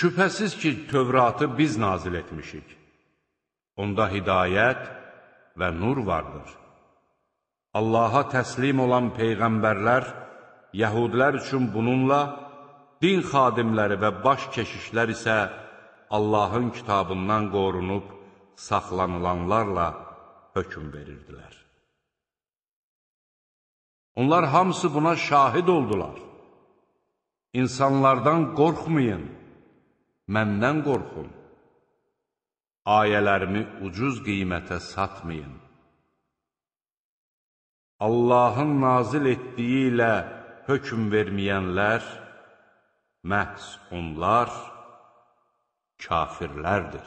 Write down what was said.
Şübhəsiz ki, Tövratı biz nazil etmişik. Onda hidayət və nur vardır. Allaha təslim olan peyğəmbərlər, yəhudlər üçün bununla, din xadimləri və baş keşişlər isə Allahın kitabından qorunub, saxlanılanlarla hökm verirdilər. Onlar hamısı buna şahid oldular. İnsanlardan qorxmayın, məndən qorxun. Ayələrimi ucuz qiymətə satmayın. Allahın nazil etdiyi ilə hökm verməyənlər, məhz onlar kafirlərdir.